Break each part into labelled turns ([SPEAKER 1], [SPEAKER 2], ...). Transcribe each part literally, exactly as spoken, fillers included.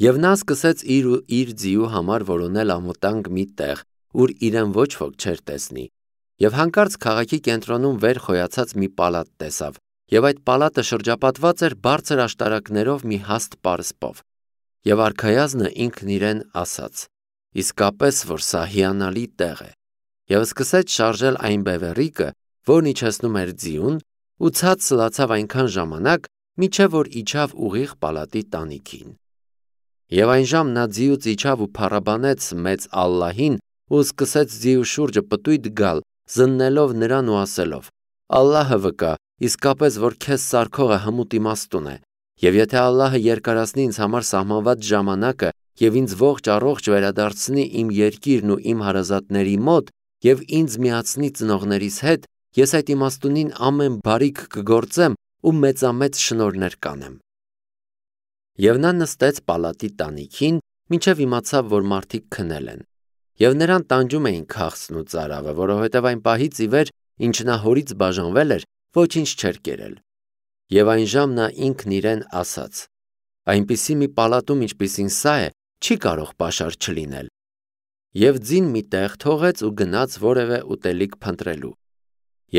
[SPEAKER 1] Եվ նա սկսեց իր ու իր ձիու համար որոնել անվտանգ մի տեղ, ուր իրեն ոչ ոք չէր տեսնի, եւ հանկարծ քաղաքի կենտրոնում վեր խոյացած մի պալատ տեսավ, եւ այդ պալատը շրջապատված էր բարձր աշտարակներով մի հաստ պարսպով։ Եվ արքայազնը ինքն իրեն ասաց. իսկապես որ սա հիանալի տեղ է, եւ սկսեց շարժել այն բևեռիկը, որն իջեցնում էր ձիուն, ու ցած սլացավ այնքան ժամանակ, մինչև որ իջավ ուղիղ պալատի տանիքին։ Եվ այն ժամ նա ձիուց իջավ ու փառաբանեց մեծ Ալլահին ու սկսեց ձիու շուրջը պտույտ գալ, զննելով նրան ու ասելով. Ալլահը վկա, իսկապես որ քեզ սարքողը հմուտ իմաստուն է, եւ եթե Ալլահը երկարացնի ինձ համար սահմանված ժամանակը եւ ինձ ողջ առողջ վերադարձնի իմ երկիրն ու իմ հարազատների մոտ եւ ինձ միացնի ծնողներիս հետ, ես այդ իմաստունին ամեն բարիք կգործեմ ու մեծամեծ շնորհներ կանեմ։ Եվ նա նստեց պալատի տանիքին, մինչև իմացավ, որ մարդիկ քնել են, եւ նրան տանջում էին քաղցն ու ծարավը, որովհետև այն պահից ի վեր, ինչ նա հորից բաժանվել էր, ոչինչ չէր կերել։ Եվ այն ժամ նա ինքն իրեն ասաց. այնպիսի մի պալատում, ինչպիսին սա է, չի կարող պաշար չլինել։ Եվ ձին մի տեղ թողեց ու գնաց որևէ ուտելիք փնտրելու։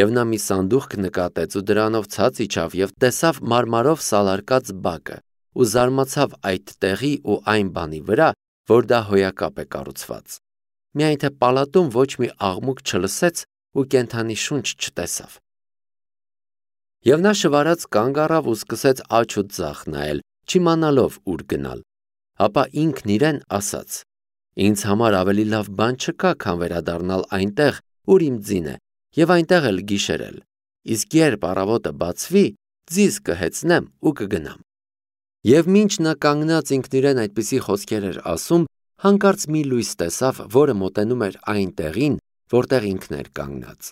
[SPEAKER 1] Եվ նա մի սանդուղք նկատեց ու դրանով ցած իջավ եւ տեսավ մարմարով սալարկած բակը ու զարմացավ այդ տեղի ու այն բանի վրա, որ դա հոյակապ է կառուցված։ Միայն թե պալատում ոչ մի աղմուկ չլսեց ու կենդանի շունչ չտեսավ։ Եվ նա շվարած կանգ առավ ու սկսեց աջ ու ձախ նայել, չիմանալով ուր գնալ։ Ապա ինքն իրեն ասաց. ինձ համար ավելի լավ բան չկա, քան վերադառնալ այնտեղ, ուր իմ ձին է, եւ այնտեղ էլ գիշերել, իսկ երբ առավոտը բացվի, ձիզ կհեծնեմ ու կգնամ։ Եվ մինչ նա կանգնած ինքն իրեն այդպիսի խոսքեր էր ասում, հանկարծ մի լույս տեսավ, որը մոտենում էր այն տեղին, որտեղ ինքն էր կանգնած։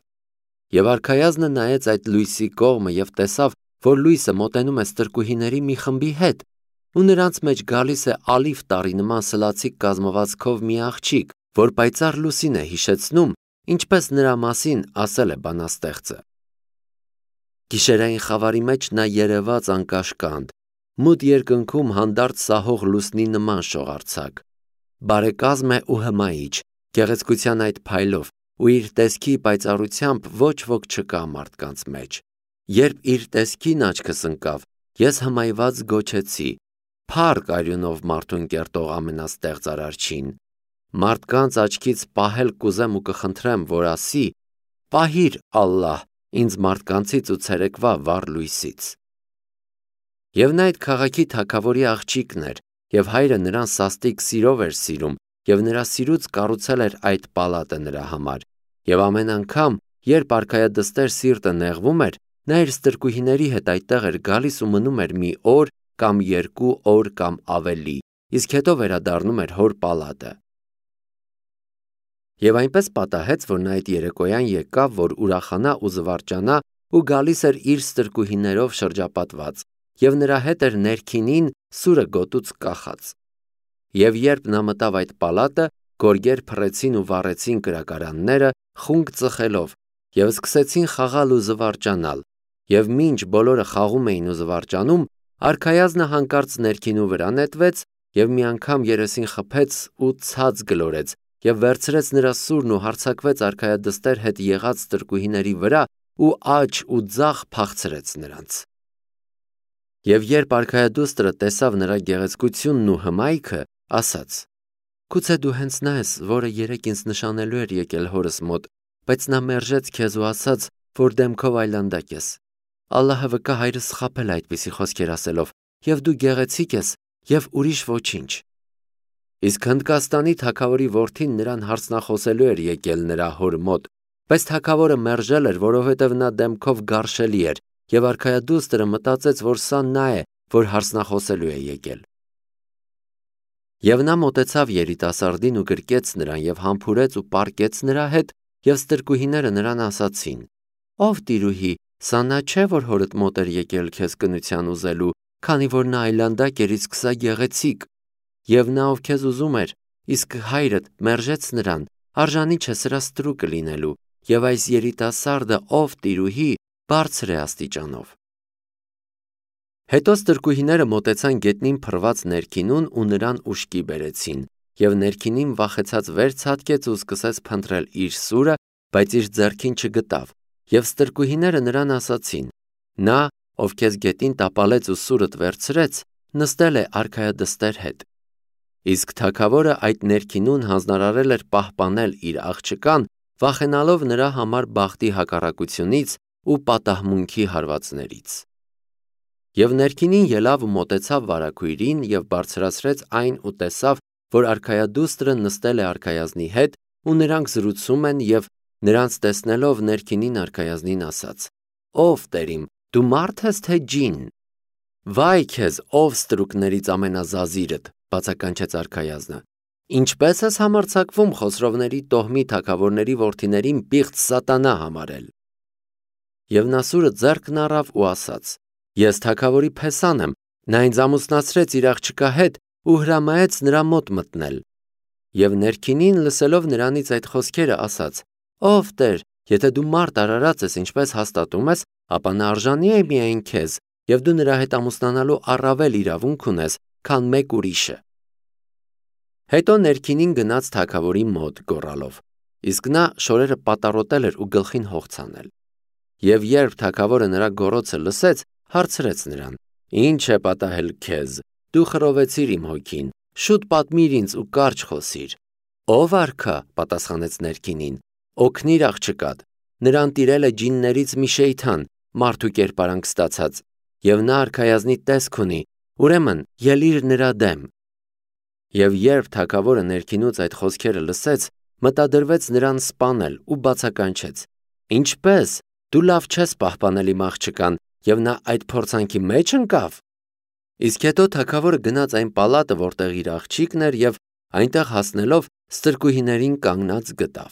[SPEAKER 1] Եվ արքայազնը նայեց այդ լույսի կողմը եւ տեսավ, որ լույսը մոտենում է ստրկուհիների մի խմբի հետ, ու նրանց մեջ գալիս է ալիվ տարի նման սլացիկ կազմվածքով մի աղջիկ, որ պայծառ լուսին է հիշեցնում, ինչպես նրա մասին ասել է բանաստեղծը։ Գիշերային խավարի մեջ նա երևաց անկաշկանդ, մութ երկնքում հանդարտ սահող լուսնի նման շողարցակ, բարեկազմ է ու հմայիչ, գեղեցկության այդ փայլով, ու իր տեսքի պայծառությամբ ոչ ոք չկա մարդկանց մեջ։ Երբ իր տեսքին աչքս ընկավ, ես հմայված գոչեցի. Փառք արյունով մարդուն կերտող ամենաստեղծ Արարչին։ Մարդկանց աչքից պահել կուզեմ ու կխնդրեմ, որ ասի. պահիր Ալլահ ինձ մարդկանցից ու ցերեկվա վառ լույսից։ Եվ նա այդ քաղաքի թագավորի աղջիկն էր, եւ հայրը նրան սաստիկ սիրով էր սիրում, եւ նրա սիրուց կառուցել էր այդ պալատը նրա համար։ Եվ ամեն անգամ, երբ արքայադստեր սիրտը նեղվում էր, նա իր ստրկուհիների հետ այդտեղ էր գալիս ու մնում էր մի օր կամ երկու օր կամ ավելի, իսկ հետո վերադառնում էր հոր պալատը։ Եվ այնպես պատահեց, որ նա այդ երեկոյան եկավ, որ ուրախանա ու զվարճանա ու գալիս էր իր ստրկուհիներով շրջապատված, եւ նրա հետ էր ներքինին սուրը գոտուց կախած։ Եվ երբ նա մտավ այդ պալատը, գորգեր փռեցին ու վառեցին կրակարանները, խունկ ծխելով, եւ սկսեցին խաղալ ու զվարճանալ, եւ մինչ բոլորը խաղում էին ու զվարճանում, արքայազնը հանկարծ ներքինու վրա նետվեց եւ մի անգամ երեսին խփեց ու ցած գլորեց եւ վերցրեց նրա սուրն ու հարձակվեց արքայադստեր հետ եղած ստրկուհիների վրա ու աջ ու ձախ փախցրեց նրանց։ Եվ երբ արքայադուստրը տեսավ նրա գեղեցկությունն ու հմայքը, ասաց. Գուցե դու հենց նա ես, որը երեկ ինձ նշանելու էր եկել հորս մոտ, բայց նա մերժեց քեզ ու ասաց, որ դեմքով այլանդակ ես։ Ալլահը վկա, հայրս սխապել է այդպիսի խոսքեր ասելով, եւ դու գեղեցիկ ես եւ ուրիշ ոչինչ։ Իսկ Հնդկաստանի թագավորի որդին նրան հարցնախոսելու էր եկել նրա հոր մոտ, բայց թագավորը մերժել էր, որովհետև նա դեմքով գարշելի էր, եւ արքայադուստրը մտածեց, որ սա նա է, որ հարցնախոսելու է եկել։ Եվ նա մոտեցավ երիտասարդին ու գրկեց նրան եւ համբուրեց ու պառկեց նրա հետ, եւ ստրկուհիները նրան ասացին. Ով տիրուհի, սա նա չէ, որ հորդ մոտ էր եկել քեզ կնության ուզելու, քանի որ նա այլանդակ էր, իսկ սա գեղեցիկ։ Եվ նա ով քեզ ուզում էր, իսկ հայրդ մերժեց նրան, արժանի չէ սրա ստրուկը լինելու, եւ այս երիտասարդը ով տիրուհի բարձր է աստիճանով։ Հետո ստրկուհիները մոտեցան գետնին փռված ներքինուն ու նրան ուշքի բերեցին, եւ ներքինին վախեցած վեր ցատկեց ու սկսեց փնտրել իր սուրը, բայց իր ձեռքին չգտավ, եւ ստրկուհիները նրան ասացին. նա, ով քեզ գետին տապալեց ու սուրդ վերցրեց, նստել է արքայադստեր հետ։ Իսկ թագավորը այդ ներքինուն հանձնարարել էր պահպանել իր աղջկան, վախենալով նրա համար բախտի հակառակությունից ու պատահմունքի հարվածներից։ Եվ ներքինին ելավ ու մոտեցավ վարագույրին եւ բարձրացրեց այն ու տեսավ, որ արքայադուստրը նստել է արքայազնի հետ ու նրանք զրուցում են եւ նրանց տեսնելով ներքինին արքայազնին ասաց. «Ով Տերիմ, դու մարդ ես թե ջին»։ «Վայ քեզ, ով ստրուկներից ամենազազիրդ», բացականչեց արքայազնը։ «Ինչպես ես համարձակվում Խոսրովների տոհմի թագավորների որդիներին պիղծ սատանա համարել»։ Եվ նա սուրը ձեռքն առավ ու ասաց. «Ես թագավորի փեսան եմ, նա ինձ ամուսնացրեց իր աղջկա հետ ու հրամայեց նրա մոտ մտնել»։ Եվ ներքինին լսելով նրանից այդ խոսքերը ասաց. «Ով Տեր, եթե դու մարդ արարած ես, ինչպես հաստատում ես, ապա նա արժանի է միայն քեզ, եւ դու նրա հետ ամուսնանալու առավել իրավունք ունես, քան մեկ ուրիշը»։ Հետո ներքինին գնաց թագավորի մոտ գոռալով, իսկ նա շորերը պատառոտել էր ու գլխին հող ցանել։ Եվ երբ թագավորը նրա գոռոցը լսեց, հարցրեց նրան. «Ինչ է պատահել քեզ, դու խռովեցիր իմ հոգին, շուտ պատմիր ինձ ու կարճ խոսիր»։ «Ով արքա», պատասխանեց ներքինին, «օգնիր աղջկադ, նրան տիրել է ջիններից մի շեյթան, մարդու կերպարանք ստացած, եւ նա արքայազնի տեսք ունի, ուրեմն ելիր նրա դեմ»։ Եվ երբ թագավորը ներքինուց այդ խոսքերը լսեց, մտադրվեց նրան սպանել ու բացականչեց. «Ինչպե՞ս, դու լավ չես պահպանել իմ աղջկան, եւ նա այդ փորձանքի մեջ ընկավ»։ Իսկ հետո թագավորը գնաց այն պալատը, որտեղ իր աղջիկն էր, եւ այնտեղ հասնելով ստրկուհիներին կանգնած գտավ։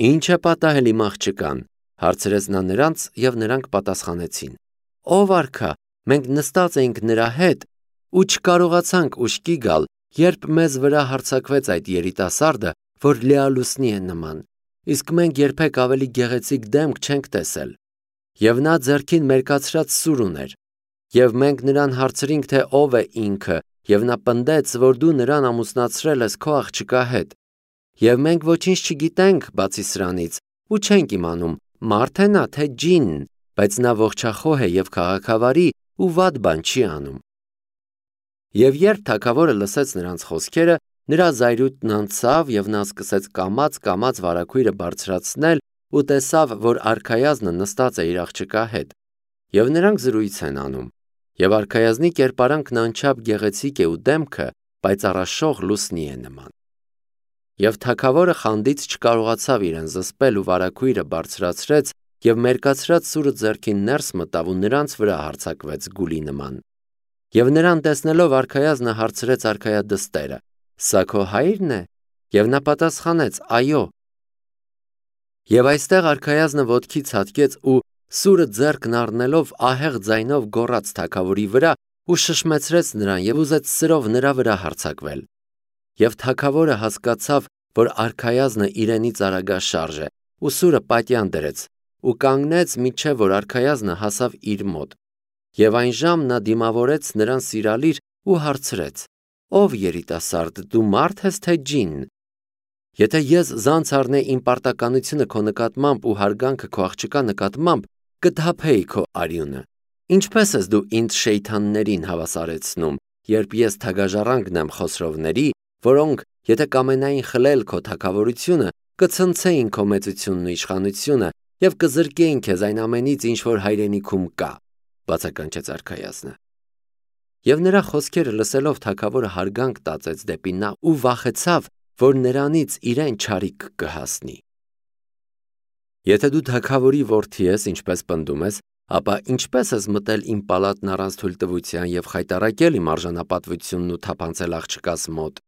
[SPEAKER 1] «Ինչ է պատահել իմ աղջկան», հարցրեց նա նրանց, եւ նրանք պատասխանեցին. «Ով արքա, մենք նստած էինք նրա հետ ու չկարողացանք ուշքի գալ, երբ մեզ վրա հարձակվեց այդ երիտասարդը, որ լիալուսնի է նման, իսկ մենք երբեք ավելի գեղեցիկ դեմք չենք տեսել։ Եվ նա ձեռքին մերկացրած սուր ուներ, եւ մենք նրան հարցրինք, թե ով է ինքը, եւ նա պնդեց, որ դու նրան ամուսնացրել ես քո աղջկա հետ։ Եվ մենք ոչինչ չգիտենք բացի սրանից, ու չենք իմանում, մարդ է նա, թե ջին, բայց նա ողջախոհ է եւ քաղաքավարի ու վատ բան չի անում»։ Եվ երբ թագավորը լսեց նրանց խոսքերը, նրա զայրույթն անցավ, եւ նա սկսեց կամաց-կամաց վարագույրը բարձրացնել ու տեսավ, որ արքայազնը նստած է իր աղջկա հետ, եւ նրանք զրույց են անում, եւ արքայազնի կերպարանքն անչափ գեղեցիկ է ու դեմքը պայծառաշող լուսնի է նման։ Եվ թագավորը խանդից չկարողացավ իրեն զսպել ու վարագույրը բարձրացրեց եւ մերկացրած սուրը ձեռքին ներս մտավ ու նրանց վրա հարձակվեց գուլի նման։ Եվ նրան տեսնելով արքայազնը հարցրեց արքայադստերը. «Սա քո հայրն է»։ Եվ նա պատասխանեց. «Այո»։ Եվ այստեղ արքայազնը ոտքի ցատկեց ու սուրը ձեռքն առնելով ահեղ ձայնով գոռաց թագավորի վրա ու շշմեցրեց նրան եւ ուզեց սրով նրա վրա հարձակվել։ Եվ թագավորը հասկացավ, որ արքայազնը իրենից արագաշարժ է, ու սուրը պատյան դրեց ու կանգնեց, մինչև որ արքայազնը հասավ իր մոտ։ Եվ այն ժամ նա դիմավորեց նրան սիրալիր ու հարցրեց. «Ով երիտասարդ, դու մարդ ես թե ջին։ Եթե ես զանց առնեի իմ պարտականությունը քո նկատմամբ ու հարգանքը քո աղջկա նկատմամբ, կթափեի քո արյունը։ Ինչպես ես դու ինձ շեյթաններին հավասարեցնում, երբ ես թագաժառանգն եմ Խոսրովների, որոնք, եթե կամենային խլել քո թագավորությունը, կցնցեին քո մեծությունն ու իշխանությունը եւ կզրկեին քեզ այն ամենից, ինչ որ հայրենիքում կա», բացականչեց արքայազնը։ Եվ նրա խոսքերը լսելով թագավորը հարգանք տածեց դեպի նա ու վախեցավ, որ նրանից իրեն չարիք կհասնի։ «Եթե դու թագավորի որդի ես, ինչպես պնդում ես, ապա ինչպես ես մտել իմ պալատն առանց թույլտվության եւ խայտառակել իմ արժանապատվությունն ու թափանցել աղջկաս մոտ։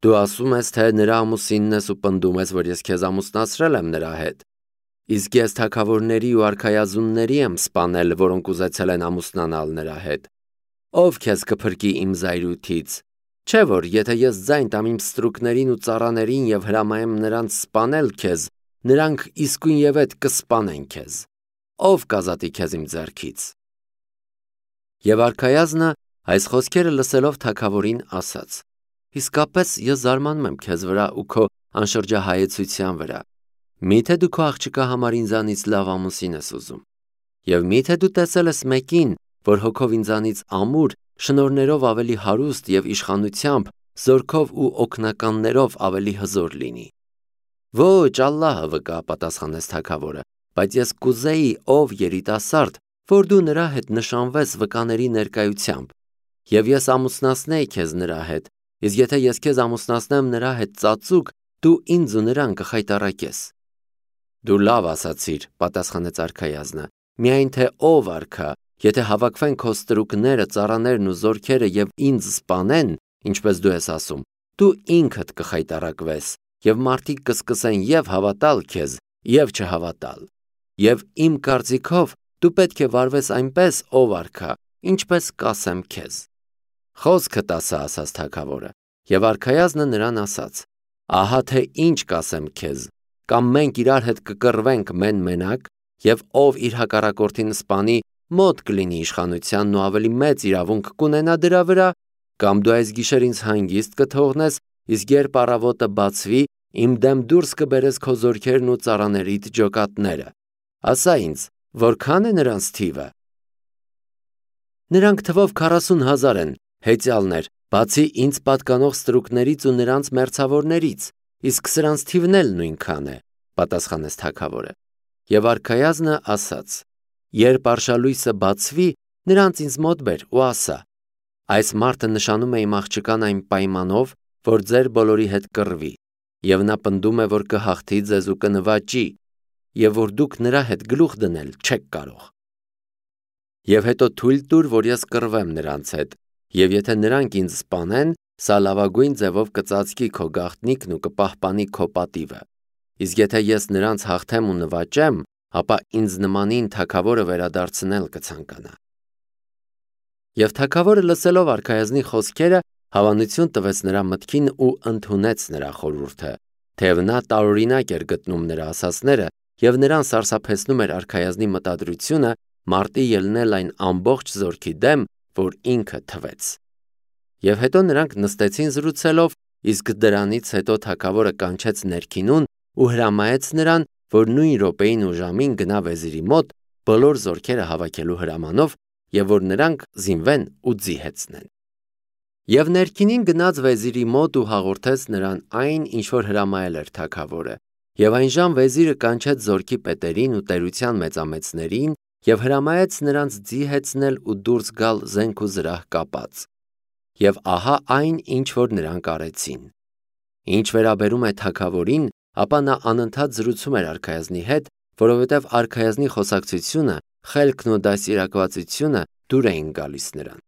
[SPEAKER 1] Դու ասում ես, թե նրա ամուսինն ես ու պնդում ես, որ ես քեզ ամուսնացրել եմ նրա հետ։ Իսկ ես թագավորների ու արքայազունների եմ սպանել, որոնք ուզեցել են ամուսնանալ նրա հետ։ Ով քեզ կփրկի իմ զայրույթից։ Չէ՞ որ եթե ես ձայն տամ իմ ստրուկներին ու ծառաներին եւ հրամայեմ նրանց սպանել քեզ, նրանք իսկույնևեթ կսպանեն քեզ։ Ով կազատի քեզ իմ ձեռքից»։ Եվ արքայազնը այս խոսքերը լսելով թագավորին ասաց. իսկապես ես զարմանում եմ քեզ վրա ու քո անշրջահայեցության վրա։ Միթե դու քո աղջկա համար ինձանից լավ ամուսին ես ուզում։ Եվ միթե դու տեսել ես մեկին, որ հոգով ինձանից ամուր, շնորներով ավելի հարուստ եւ իշխանությամբ, զորքով ու օգնականներով ավելի հզոր լինի։ Ոչ, Ալլահը վկա, պատասխանեց թագավորը, բայց ես կուզեի, ով երիտասարդ, որ դու նրա հետ նշանվես վկաների ներկայությամբ, եւ ես ամուսնացնեի քեզ նրա հետ, իսկ եթե ես քեզ ամուսնացնեմ նրա հետ ծածուկ, դու ինձ ու նրան կխայտառակես։ Դու լավ ասացիր, պատասխանեց արքայազնը, միայն թե ով արքա, եթե հավաքվեն քո ստրուկները, ծառաներն ու զորքերը եւ ինձ սպանեն, ինչպես դու ես ասում, դու ինքդ կխայտառակվես, եւ մարդիկ կսկսեն եւ հավատալ քեզ, եւ չհավատալ։ Եվ իմ կարծիքով դու պետք է վարվես այնպես, ով արքա, ինչպես կասեմ քեզ։ Խոսքդ ասա, ասաց թագավորը, եւ արքայազնը նրան ասաց. ահա թե ինչ կասեմ քեզ, կամ մենք իրար հետ կկռվենք մեն-մենակ, եւ ով իր հակառակորդին սպանի, մոտ կլինի իշխանությանն ու ավելի մեծ իրավունք կունենա դրա վրա, կամ դու այս գիշեր ինձ հանգիստ կթողնես, իսկ երբ առավոտը բացվի, իմ դեմ դուրս կբերես քո զորքերն ու ծառաներիդ ջոկատները։ Ասա ինձ, որքան է նրանց թիվը։ Նրանք թվով քառասուն հազար են, հեծյալներ, բացի ինձ պատկանող ստրուկներից ու նրանց մերձավորներից, իսկ սրանց թիվն էլ նույնքան է, պատասխանեց թագավորը։ Եվ արքայազնը ասաց. երբ արշալույսը բացվի, նրանց ինձ մոտ բեր ու ասա. այս մարդը նշանում է իմ աղջկան այն պայմանով, որ ձեր բոլորի հետ կռվի, եւ նա պնդում է, որ կհաղթի ձեզ ու կնվաճի, եւ որ դուք նրա հետ գլուխ դնել չեք կարող։ Եվ հետո թույլ տուր, որ ես կռվեմ նրանց հետ, եւ եթե նրանք ինձ սպանեն, սա լավագույն ձևով կծածկի քո գաղտնիքն ու կպահպանի քո պատիվը։ Իսկ եթե ես նրանց հաղթեմ ու նվաճեմ, ապա ինձ նմանին թագավորը վերադարձնել կցանկանա։ Եվ թագավորը լսելով արքայազնի խոսքերը, հավանություն տվեց նրա մտքին ու ընդունեց նրա խորհուրդը, թեև նա տարօրինակ էր գտնում նրա ասածները եւ նրան սարսափեցնում էր արքայազնի մտադրությունը մարտի ելնել այն ամբողջ զորքի դեմ, որ ինքը թվեց։ Եվ հետո նրանք նստեցին զրուցելով, իսկ դրանից հետո թագավորը կանչեց ներքինուն ու հրամայեց նրան, որ նույն րոպեին ու ժամին գնա վեզիրի մոտ բոլոր զորքերը հավաքելու հրամանով եւ որ նրանք զինվեն ու ձիհեցնեն։ Եվ ներքինին գնաց վեզիրի մոտ ու հաղորդեց նրան այն, ինչ որ հրամայել էր թագավորը։ Եվ այնժամ վեզիրը կանչեց զորքի պետերին ու տերության մեծամեծներին եւ հրամայեց նրանց ձիհեցնել ու դուրս գալ զենք ու զրահ կապած։ Եվ ահա այն, ինչ որ նրանք արեցին։ Ինչ վերաբերում է թագավորին, ապա նա անընդհատ զրուցում էր արքայազնի հետ, որովհետև արքայազնի խոսակցությունը, խելքն ու դաստիարակվածությունը դուր էին գալիս նրան։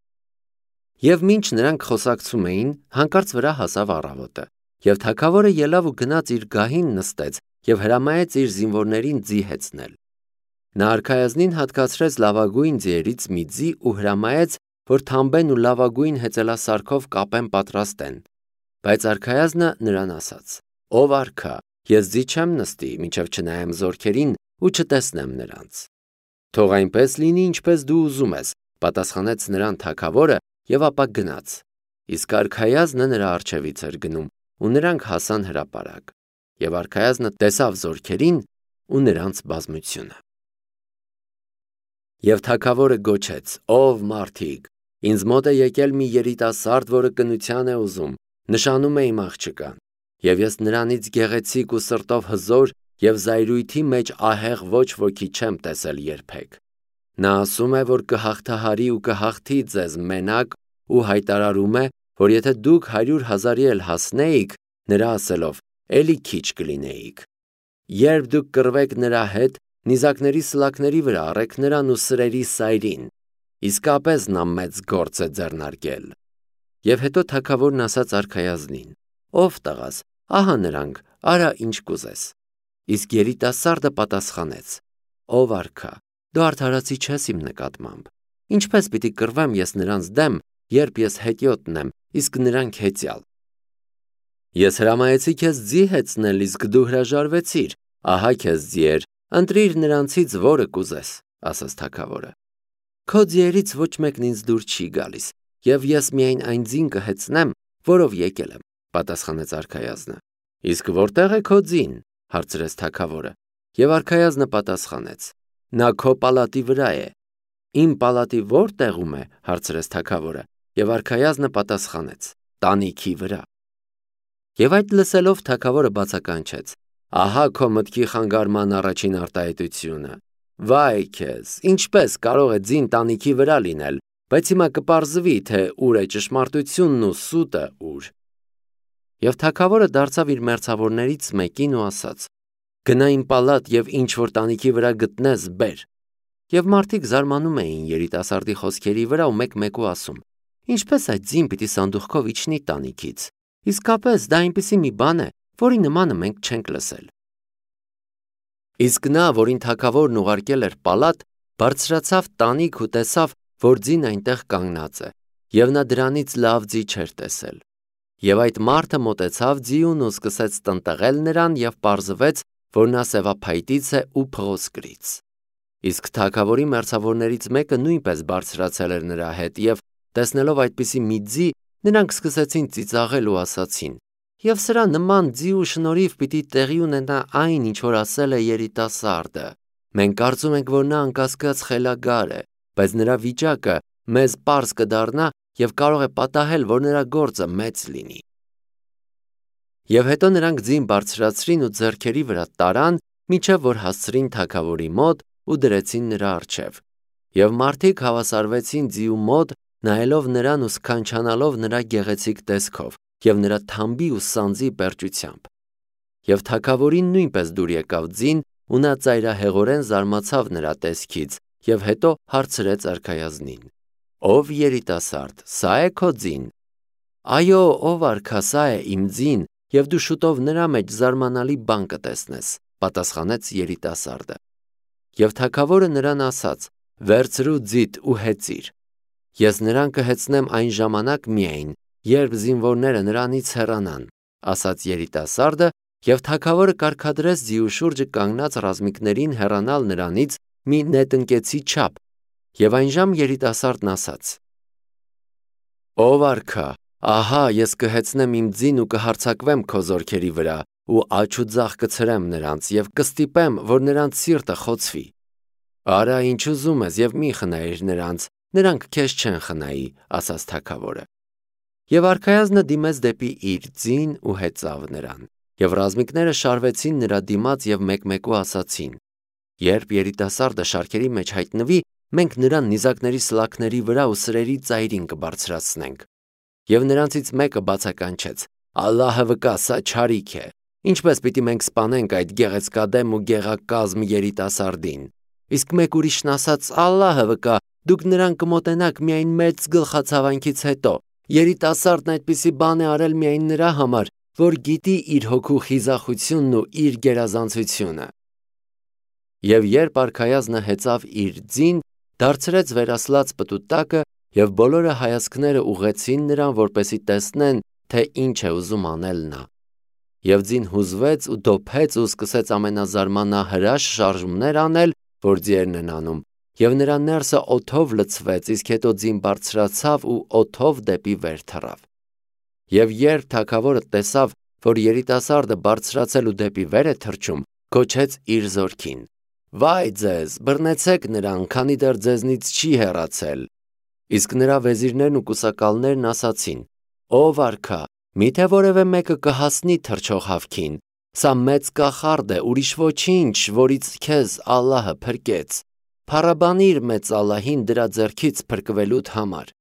[SPEAKER 1] Եվ մինչ նրանք խոսակցում էին, հանկարծ վրա հասավ առավոտը, եւ թագավորը ելավ ու գնաց իր գահին նստեց եւ հրամայեց իր զինվորներին ձի հեծնել։ Նա արքայազնին հատկացրեց լավագույն ձիերից մի ձի ու հրամայեց, որ թամբեն ու լավագույն հեծելասարքով կապեն պատրաստեն։ Բայց արքայազնը նրան ասաց. ով արքա, ես ձի չեմ նստի, մինչև չնայեմ զորքերին ու չտեսնեմ նրանց։ Թող այնպես լինի, ինչպես դու ուզում ես, պատասխանեց նրան թագավորը եւ ապա գնաց։ Իսկ արքայազնը նրա առջևից էր գնում, ու նրանք հասան հրապարակ։ Եվ արքայազնը տեսավ զորքերին ու նրանց բազմությունը։ Եվ թագավորը գոչեց. ով մարդիկ, ինձ մոտ է եկել մի երիտասարդ, որը կնության է ուզում, նշանում է իմ աղջկան, եւ ես նրանից գեղեցիկ ու սրտով հզոր եւ զայրույթի մեջ ահեղ ոչ ոքի չեմ տեսել երբեք։ Նա ասում է, որ կհաղթահարի ու կհաղթի ձեզ մենակ ու հայտարարում է, որ եթե դուք հարյուր հազարի էլ հասնեիք, նրա ասելով, էլի քիչ կլինեիք։ Երբ դուք կռվեք նրա հետ, նիզակների սլակների վրա առեք նրան ու սրերի սայրին, իսկապես նա մեծ գործ է ձեռնարկել։ Եվ հետո թագավորն ասաց արքայազնին. ով տղաս, ահա նրանք, արա ինչ կուզես։ Իսկ երիտասարդը պատասխանեց. ով արքա, դու արդարացի չես իմ նկատմամբ։ Ինչպես պիտի կռվեմ ես նրանց դեմ, երբ ես հետիոտն եմ, իսկ նրանք հեծյալ։ Ես հրամայեցի քեզ ձի հեծնել, իսկ դու հրաժարվեցիր, ահա քեզ ձիեր, ընտրիր նրանցից որը կուզես, ասաց թագավորը։ Քո ձիերից ոչ մեկն ինձ դուր չի գալիս, եւ ես միայն այն ձին կհեծնեմ, որով եկել եմ, պատասխանեց արքայազնը։ Իսկ որտեղ է քո ձին, հարցրեց թագավորը, եւ արքայազնը պատասխանեց. նա քո պալատի վրա է։ Իմ պալատի ո՞ր տեղում է, հարցրեց թագավորը, եւ արքայազնը պատասխանեց. տանիքի վրա։ Եվ այդ լսելով թագավորը բացականչեց. ահա քո մտքի խանգարման առաջին արտահայտությունը։ Վայ քեզ, ինչպես կարող է ձին տանիքի վրա լինել, բայց հիմա կպարզվի, թե ուր է ճշմարտությունն ու սուտը ուր։ Եվ թագավորը դարձավ իր մերձավորներից մեկին ու ասաց. գնա իմ պալատ եւ ինչ որ տանիքի վրա գտնես, բեր։ Եվ մարդիկ զարմանում էին երիտասարդի խոսքերի վրա ու մեկ-մեկու ասում. ինչպես այդ ձին պիտի սանդուղքով իջնի տանիքից։ Իսկապես դա այնպիսի մի բան է, որի նմանը մենք չենք լսել։ Իսկ նա, որին թագավորն ուղարկել էր պալատ, բարձրացավ տանիք ու տեսավ, որ ձին այնտեղ կանգնած է, եւ նա դրանից լավ ձի չէր տեսել։ Եվ այդ մարդը մոտեցավ ձիուն ու սկսեց տնտղել նրան եւ պարզվեց, որ նա սևափայտից է ու փղոսկրից։ Իսկ թագավորի մերձավորներից մեկը նույնպես բարձրացել էր նրա հետ եւ տեսնելով այդպիսի մի ձի, նրանք սկսեցին ծիծաղել ու ասացին. Եվ սրա նման ձի ու շնորհիվ պիտի տեղի ունենա այն, ինչ որ ասել է երիտասարդը։ Մենք կարծում ենք, որ նա անկասկած խելագար է, բայց նրա վիճակը մեզ պարզ կդառնա եւ կարող է պատահել, որ նրա գործը մեծ լինի։ Եվ հետո նրանք ձին բարձրացրին ու ձեռքերի վրա տարան, մինչև որ հասցրին թագավորի մոտ ու դրեցին նրա առջև։ Եվ մարդիկ հավասարվեցին ձիու մոտ, նայելով նրան ու սքանչանալով նրա գեղեցիկ տեսքով եւ նրա թամբի ու սանձի պերճությամբ։ Եվ թագավորին նույնպես դուր եկավ ձին, ու նա ծայրահեղորեն զարմացավ նրա տեսքից եւ հետո հարցրեց արքայազնին. Ով երիտասարդ, սա է քո ձին։ Այո, ով արքա, սա է իմ ձին, եւ դու շուտով նրա մեջ զարմանալի բան կտեսնես, պատասխանեց երիտասարդը։ Եվ թագավորը նրան ասաց. վերցրու ձիդ ու հեծիր։ Ես նրան կհեծնեմ այն ժամանակ միայն, երբ զինվորները նրանից հեռանան, ասաց երիտասարդը, եւ թագավորը կարգադրեց ձիու շուրջը կանգնած ռազմիկներին հեռանալ նրանից մի նետնկեցի չափ, եւ այնժամ երիտասարդն ասաց. Ով արքա, ահա ես կհեծնեմ իմ ձին ու կհարձակվեմ քո զորքերի վրա ու աջ ու ձախ կցրեմ նրանց եւ կստիպեմ, որ նրանց սիրտը խոցվի։ Արա ինչ ուզում ես եւ մի խնայիր նրանց, նրանք քեզ չեն խնայի, ասաց թագավորը։ Եվ արքայազնը դիմեց դեպի իր ձին ու հեծավ նրան, եւ ռազմիկները շարվեցին նրա դիմաց եւ մեկ-մեկու ասացին. երբ երիտասարդը շարքերի մեջ հայտնվի, մենք նրան նիզակների սլաքների վրա ու սրերի ծայրին կբարձրացնենք։ Եվ նրանցից մեկը բացականչեց. Ալլահը վկա, սա չարիք է։ Ինչպես պիտի մենք սպանենք այդ գեղեցկադեմ ու գեղակազմ երիտասարդին։ Իսկ մեկ ուրիշն ասաց. Ալլահը վկա, դուք նրան կմոտենաք միայն մեծ գլխացավանքից հետո։ Երիտասարդն այդպիսի բան է արել միայն նրա համար, որ գիտի իր հոգու խիզախությունն ու իր գերազանցությունը։ Եվ երբ արքայազնը հեծավ իր ձին, դարձրեց վերասլաց պտուտակը եւ բոլորը հայացքները ուղղեցին նրան, որպեսի տեսնեն, թե ինչ է ուզում անել նա։ Եվ ձին հուզվեց ու դոփեց ու սկսեց ամենազարմանահրաշ շարժումներ անել, որ ձիերն են անում, եւ նրա ներսը օդով լցվեց, իսկ հետո ձին բարձրացավ ու օդով դեպի վեր թռավ։ Եվ երբ թագավորը տեսավ, որ երիտասարդը բարձրացել ու դեպի վեր է թռչում, գոչեց իր զորքին. Վայ ձեզ, բռնեցեք նրան, քանի դեռ ձեզնից չի հեռացել։ Իսկ նրա վեզիրներն ու կուսակալներն ասացին. Ով արքա, միթե որևէ մեկը կհասնի թռչող հավքին։ Սա մեծ կախարդ է, ուրիշ ոչինչ, որից քեզ Ալլահը փրկեց։ Փառաբանիր մեծ Ալլահին դրա ձեռքից փրկվելուդ համար։